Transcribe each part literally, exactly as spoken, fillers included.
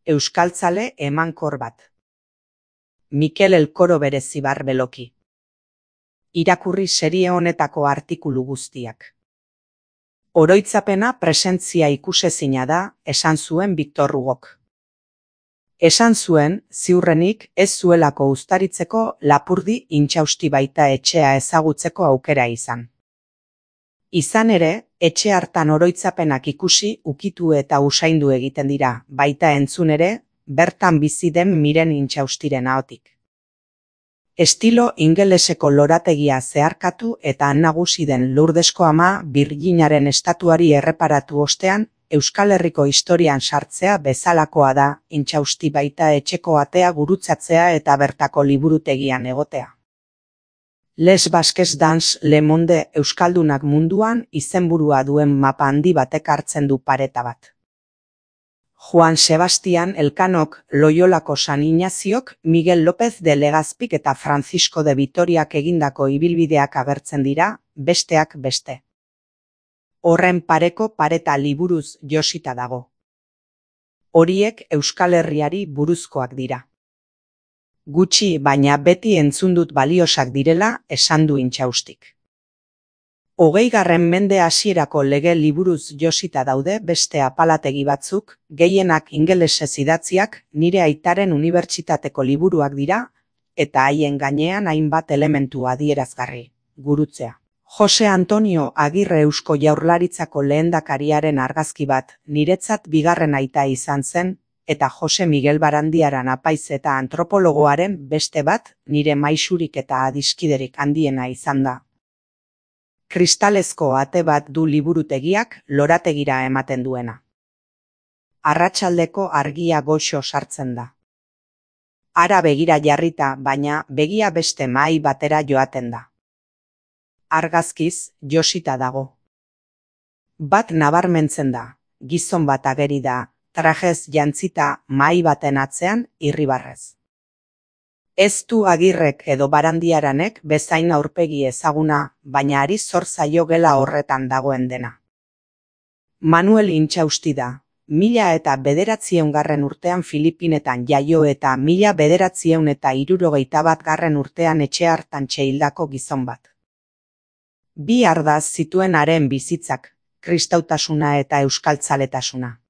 euskaltzale emankor bat. Mikel Elkoro Berezibar Beloki. Irakurri serie honetako artikulu guztiak. Oroitzapena presentzia ikusezina da, esan zuen Victor Hugok. Esan zuen, ziurrenik ez zuelako uztaritzeko Lapurdi intxausti baita etxea ezagutzeko aukera izan. Izan ere, etxe hartan oroitzapenak ikusi, ukitu eta usaindu egiten dira, baita entzun ere, bertan bizi den Miren intxaustiren ahotik. Estilo ingeleseko lorategia zeharkatu eta nagusi den Lurdesko Ama Birjinaren estatuari erreparatu ostean, Euskal Herriko historian sartzea bezalakoa da, intxausti baita etxeko atea gurutzatzea eta bertako liburutegian egotea. Les Basques dans le Monde Euskaldunak munduan izenburua duen mapa handi batek hartzen du pareta bat. Juan Sebastian Elkanok, Loiolako San Ignaziok, Miguel López de Legazpik eta Francisco de Vitoriak egindako ibilbideak agertzen dira, besteak beste. Horren pareko pareta liburuz josita dago. Horiek Euskal Herriari buruzkoak dira. Gutxi baina beti entzun dut baliosak direla esan du intxaustik. Hogeigarren mende hasierako lege liburuz josita daude beste apalategi batzuk, gehienak ingelesez idatziak, nire aitaren unibertsitateko liburuak dira, eta haien gainean hainbat elementu adierazgarri, gurutzea. Jose Antonio Agirre Eusko Jaurlaritzako lehendakariaren argazki bat, niretzat bigarren aita izan zen, eta Jose Miguel Barandiaran apaiz eta antropologoaren beste bat, nire maisurik eta adiskiderik handiena izan da. Kristalezko ate bat du liburutegiak lorategira ematen duena. Arratsaldeko argia goxo sartzen da. Hara begira jarrita, baina begia beste mahai batera joaten da. Argazkiz josita dago. Bat nabarmentzen da, gizon bat ageri da, trajez jantzita mahai baten atzean irribarrez. Ez du Agirrek edo Barandiaranek bezain aurpegi ezaguna, baina ari zor zaio gela horretan dagoen dena. Manuel Intxausti da, mila eta bederatzieun garren urtean Filipinetan jaio eta mila bederatzieun eta hirurogeita bat garren urtean etxe hartan txeildako gizon bat. Bi ardaz zituen haren bizitzak, kristautasuna eta euskaltzaletasuna.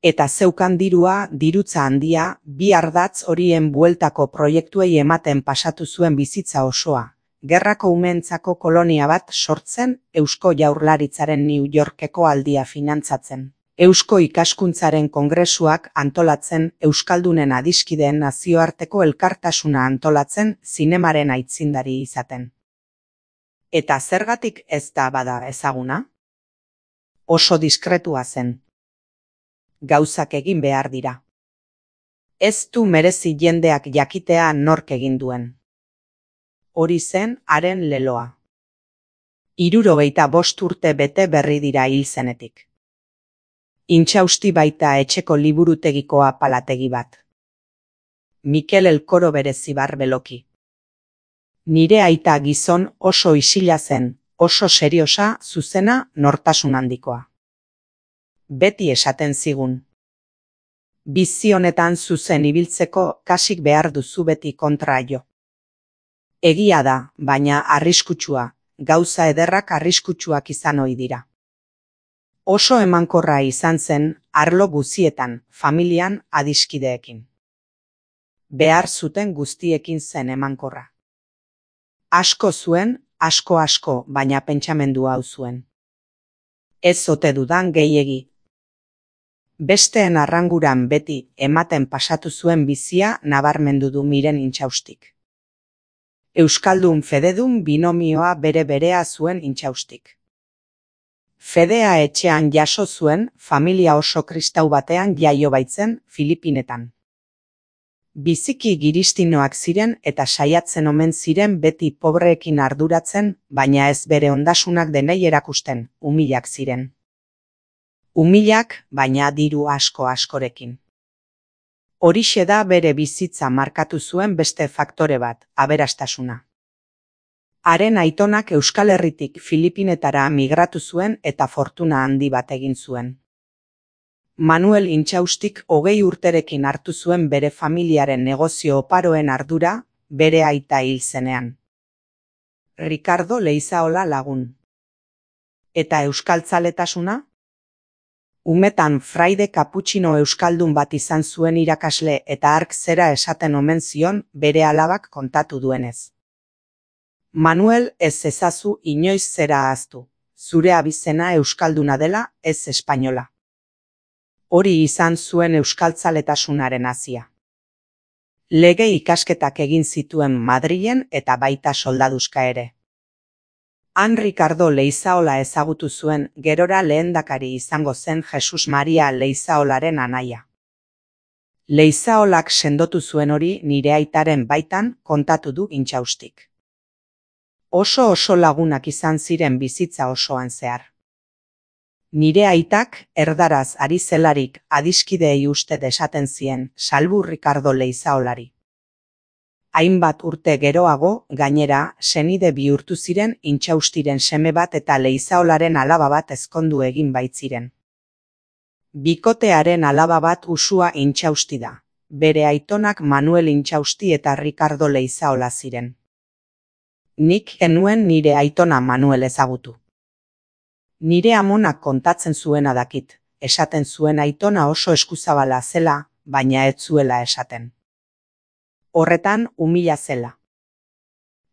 Eta zeukan dirua, dirutza handia, bi ardatz horien bueltako proiektuei ematen pasatu zuen bizitza osoa, gerrako umeentzako kolonia bat sortzen, Eusko Jaurlaritzaren New Yorkeko aldia finantzatzen, Eusko Ikaskuntzaren kongresuak antolatzen, Euskaldunen adiskideen nazioarteko elkartasuna antolatzen, zinemaren aitzindari izaten. Eta zergatik ez da bada ezaguna? Oso diskretua zen. Gauzak egin behar dira. Ez du merezi jendeak jakitea nork egin duen. Hori zen haren leloa. Hirurogeita bost urte bete berri dira hil zenetik. Intxausti baita etxeko liburutegiko apalategi bat. Mikel Elkoro Berezibar Beloki. Nire aita gizon oso isila zen, oso seriosa, zuzena, nortasun handikoa. Beti esaten zigun. Bizi honetan zuzen ibiltzeko kasik behar duzu beti kontra jo. Egia da, baina arriskutsua, gauza ederrak arriskutsuak izan ohi dira. Oso emankorra izan zen, arlo guzietan, familian, adiskideekin. Behar zuten guztiekin zen emankorra. Asko zuen, asko asko, baina pentsamendu hau zuen. Ez ote dudan gehiegi. Besteen arranguran beti ematen pasatu zuen bizia nabarmendu du Miren Intxaustik. Euskaldun fededun binomioa bere berea zuen Intxaustik. Fedea etxean jaso zuen, familia oso kristau batean jaio baitzen, Filipinetan. Biziki giristinoak ziren eta saiatzen omen ziren beti pobreekin arduratzen, baina ez bere ondasunak denei erakusten, umilak ziren. Umilak, baina diru asko askorekin. Horixe da bere bizitza markatu zuen beste faktore bat, aberastasuna. Haren aitonak Euskal Herritik Filipinetara migratu zuen eta fortuna handi bat egin zuen. Manuel Intxaustik hogei urterekin hartu zuen bere familiaren negozio oparoen ardura, bere aita hil zenean. Ricardo Leizaola lagun. Eta euskaltzaletasuna? Umetan fraide kaputxino euskaldun bat izan zuen irakasle eta hark zera esaten omen zion bere alabak kontatu duenez. Manuel, ez ezazu inoiz zera ahaztu, zure abizena euskalduna dela, ez espainola. Hori izan zuen euskaltzaletasunaren hazia. Lege ikasketak egin zituen Madrilen eta baita soldaduzka ere. Han Ricardo Leizaola ezagutu zuen gerora lehendakari izango zen Jesus Maria Leizaolaren anaia. Leizaolak sendotu zuen hori nire aitaren baitan kontatu du Intxaustik. Oso oso lagunak izan ziren bizitza osoan zehar. Nire aitak erdaraz ari zelarik adiskideei uste desaten zien, salbu Ricardo Leizaolari. Hainbat urte geroago, gainera, senide bihurtu ziren Intxaustiren seme bat eta Leizaolaren alaba bat ezkondu egin baitziren. Bikotearen alaba bat Usua Intxausti da, bere aitonak Manuel Intxausti eta Ricardo Leizaola ziren. Nik genuen nire aitona Manuel ezagutu. Nire amonak kontatzen zuena dakit, esaten zuen aitona oso eskuzabala zela, baina ez zuela esaten. Horretan umila zela.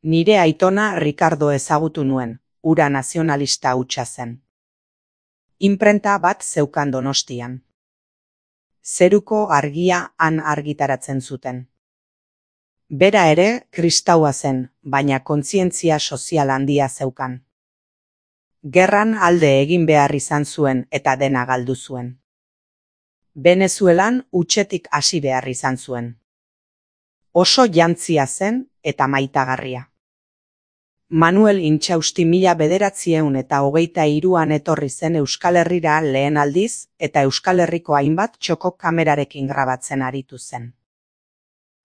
Nire aitona Ricardo ezagutu nuen, hura nazionalista hutsa zen. Inprenta bat zeukan Donostian. Zeruko argia han argitaratzen zuten. Bera ere kristaua zen, baina kontzientzia sozial handia zeukan. Gerran alde egin behar izan zuen eta dena galdu zuen. Venezuelan hutsetik hasi behar izan zuen. Oso jantzia zen eta maitagarria. Manuel Intxausti mila bederatziehun eta hogeita hiruan etorri zen Euskal Herrira lehen aldiz eta Euskal Herriko hainbat txoko kamerarekin grabatzen aritu zen.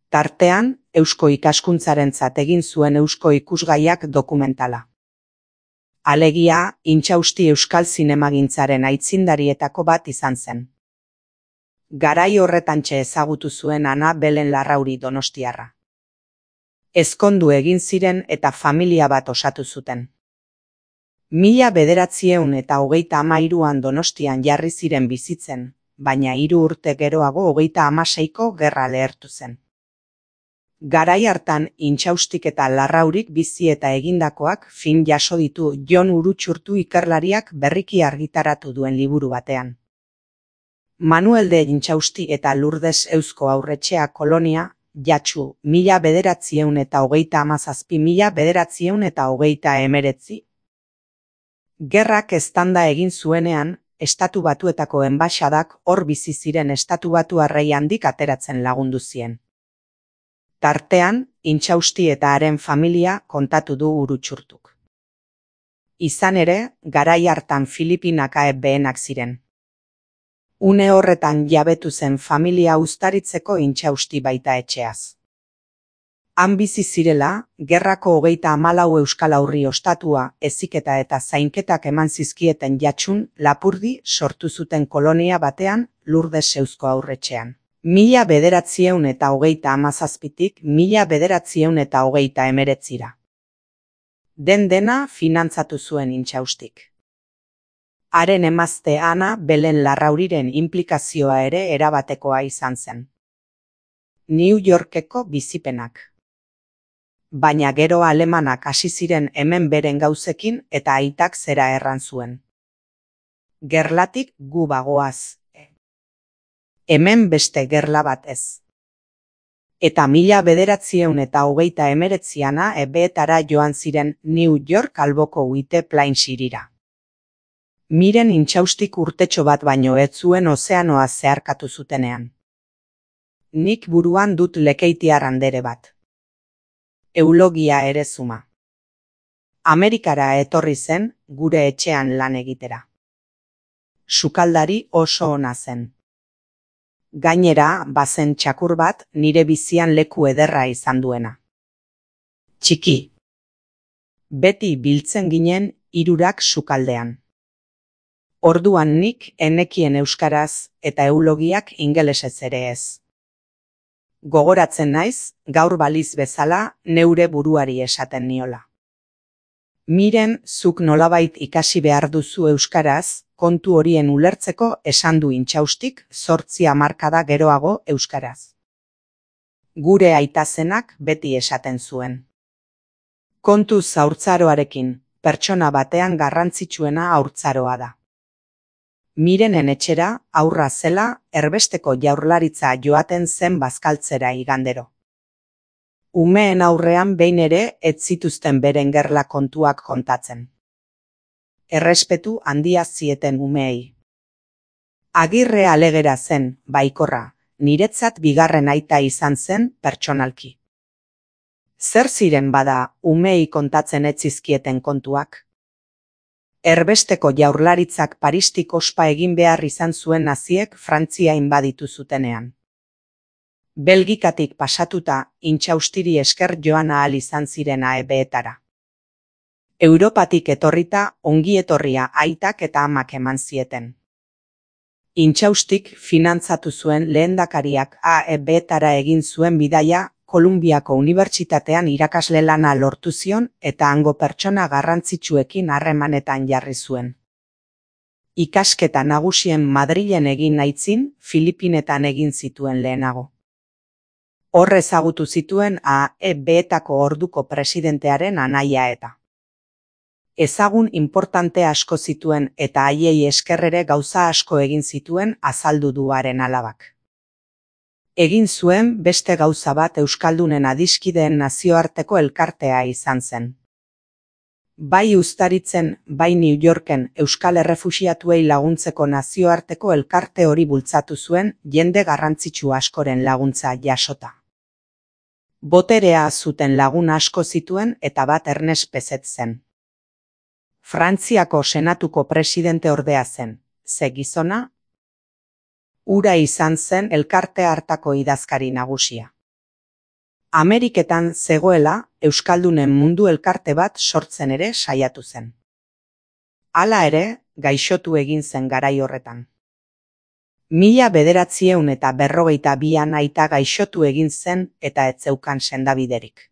Tartean, eusko ikaskuntzarentzat egin zuen eusko ikusgaiak dokumentala. Alegia, Intxausti euskal zinemagintzaren aitzindarietako bat izan zen. Garai horretantxe ezagutu zuen Ana Belen Larrauri donostiarra. Ezkondu egin ziren eta familia bat osatu zuten. Mila bederatzieun eta hogeita hamairuan Donostian jarri ziren bizitzen, baina hiru urte geroago hogeita hamaseiko gerra lehertu zen. Garai hartan Intxaustik eta Larraurik bizi eta egindakoak fin jaso ditu Jon Urutxurtu ikerlariak berriki argitaratu duen liburu batean. Manuel de Intxausti eta Lourdes Eusko Aurretxea Kolonia, Jatsu, mila bederatzieun eta hogeita hamazazpi mila bederatzieun eta hogeita emeretzi. Gerrak eztanda egin zuenean, Estatu Batuetako enbaxadak hor bizi ziren Estatu Batuarrei handik ateratzen lagundu zien. Tartean, Intxausti eta haren familia kontatu du Urutxurtuk. Izan ere, garai hartan Filipinak behenak ziren. Une horretan jabetu zen familia uztaritzeko Intxausti baita etxeaz. Han bizi zirela, gerrako hogeita hamalau euskal aurri ostatua, heziketa eta zainketak eman zizkieten Jatsun, Lapurdi sortu zuten kolonia batean, Lourdes Eusko Aurretxean. Mila bederatzieun eta hogeita hamazazpitik mila bederatzieun eta hogeita emeretzira. Den dena finantzatu zuen Intxaustik. Haren emazte Ana Belen Larrauriren inplikazioa ere erabatekoa izan zen. New Yorkeko bizipenak. Baina gero alemanak hasi ziren hemen beren gauzekin eta aitak zera erran zuen. Gerlatik gu bagoaz. Hemen beste gerla bat ez. Eta mila bederatzieun eta hogeita emeretziana ebeetara joan ziren New York alboko White Plains hirira. Miren Intxaustik urtetxo bat baino ez zuen ozeanoa zeharkatu zutenean. Nik buruan dut lekeitiar andere bat. Eulogia ere zuma. Amerikara etorri zen, gure etxean lan egitera. Sukaldari oso ona zen. Gainera, bazen txakur bat nire bizian leku ederra izan duena. Txiki. Beti biltzen ginen hirurak sukaldean. Orduan nik enekien euskaraz eta eulogiak ingelesez ere ez. Gogoratzen naiz, gaur baliz bezala neure buruari esaten niola. Miren, zuk nolabait ikasi behar duzu euskaraz, kontu horien ulertzeko esan du intxaustik zortzi hamarkada geroago euskaraz. Gure aitazenak beti esaten zuen. Kontuz haurtzaroarekin, pertsona batean garrantzitsuena haurtzaroa da. Mirenen etxera, aurra zela, erbesteko jaurlaritza joaten zen bazkaltzera igandero. Umeen aurrean behin ere ez zituzten beren gerla kontuak kontatzen. Errespetu handia zieten umeei. Agirre alegera zen, baikorra, niretzat bigarren aita izan zen pertsonalki. Zer ziren bada umeei kontatzen ez zizkieten kontuak? Erbesteko jaurlaritzak Paristik ospa egin behar izan zuen naziek Frantzia inbaditu zutenean. Belgikatik pasatuta intxaustiri esker joan ahal izan ziren A E B-etara. Europatik etorrita ongi etorria aitak eta amak eman zieten. Intxaustik finantzatu zuen lehendakariak A E B-etara egin zuen bidaia Kolumbiako Unibertsitatean irakasle lana lortu zion eta hango pertsona garrantzitsuekin harremanetan jarri zuen. Ikasketa nagusien Madrilen egin aitzin, Filipinetan egin zituen lehenago. Hor ezagutu zituen A E B-etako orduko presidentearen anaia eta. Ezagun importante asko zituen eta haiei eskerrere gauza asko egin zituen azaldu du haren alabak. Egin zuen beste gauza bat Euskaldunen adiskideen nazioarteko elkartea izan zen. Bai Uztaritzen, bai New Yorken Euskal Errefuxiatuei laguntzeko nazioarteko elkarte hori bultzatu zuen jende garrantzitsu askoren laguntza jasota. Boterea zuten lagun asko zituen eta bat Ernest Pezet zen. Frantziako senatuko presidente ordea zen, ze gizona, hura izan zen elkarte hartako idazkari nagusia. Ameriketan zegoela Euskaldunen mundu elkarte bat sortzen ere saiatu zen. Hala ere, gaixotu egin zen garai horretan. Mila bederatziehun eta berrogeita bian aita gaixotu egin zen eta ez zeukan sendabiderik.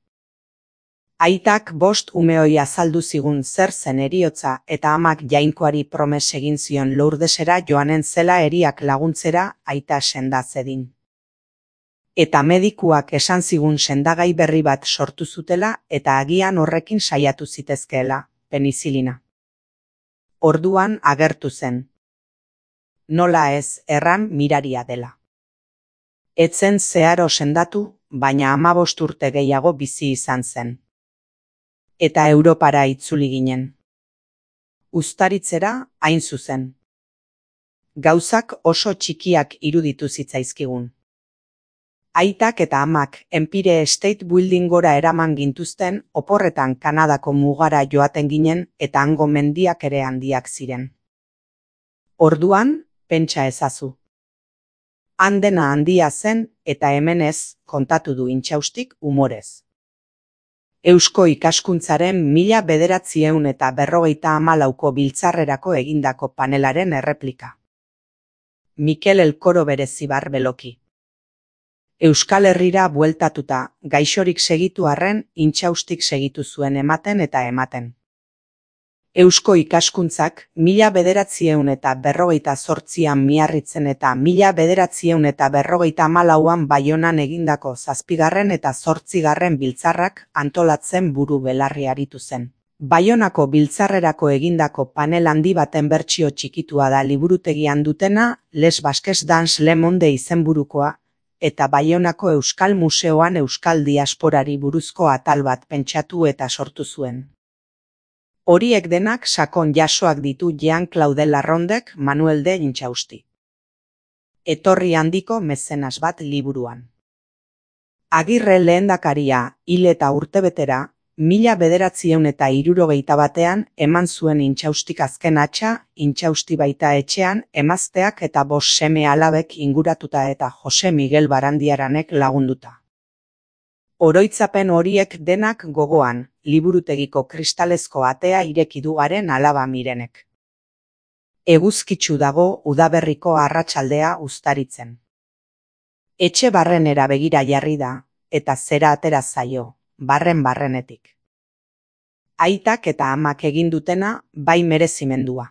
Aitak bost umeoi azaldu zigun zer zen heriotza eta amak jainkoari promes egin zion Lourdesera joanen zela heriak laguntzera aita senda zedin. Eta medikuak esan zigun sendagai berri bat sortu zutela eta agian horrekin saiatu zitezkeela, penizilina. Orduan agertu zen. Nola ez erran miraria dela. Etzen zeharo sendatu, baina hamabost urte gehiago bizi izan zen. Eta Europara itzuli ginen. Uztaritzera hain zuzen. Gauzak oso txikiak iruditu zitzaizkigun. Aitak eta amak Empire State Building gora eraman gintuzten oporretan Kanadako mugara joaten ginen eta hango mendiak ere handiak ziren. Orduan, pentsa ezazu. Handena handia zen eta hemen ez, kontatu du intxaustik umorez. Eusko ikaskuntzaren mila bederatziehun eta berrogeita hamalauko biltzarrerako egindako panelaren erreplika. Mikel Elkoro berezibar beloki. Euskal Herrira bueltatuta, gaixorik segitu arren, intxaustik segitu zuen ematen eta ematen. Eusko ikaskuntzak mila bederatziehun eta berrogeita zortzian Miarritzen eta mila bederatziehun eta berrogeita hamalauan Baionan egindako zazpigarren eta zortzigarren biltzarrak antolatzen buru belarri aritu zen. Baionako biltzarrerako egindako panel handi baten bertsio txikitua da liburutegian dutena Les Basques dans le Monde izenburukoa, eta Baionako Euskal Museoan Euskal Diasporari buruzko atal bat pentsatu eta sortu zuen. Horiek denak sakon jasoak ditu Jean-Claude Larrondek Manuel de Intxausti. Etorri handiko mezenas bat liburuan. Agirre lehendakaria hil eta urtebetera, mila bederatziehun eta hirurogeita batean eman zuen Intxaustik azken hatsa, Intxausti baita etxean emazteak eta bost seme alabek inguratuta eta Jose Miguel Barandiaranek lagunduta. Oroitzapen horiek denak gogoan, liburutegiko kristalezko atea ireki du haren alaba Mirenek. Eguzkitsu dago udaberriko arratsaldea uztaritzen. Etxe barrenera begira jarri da, eta zera atera zaio, barren-barrenetik. Aitak eta amak egin dutena bai merezimendua.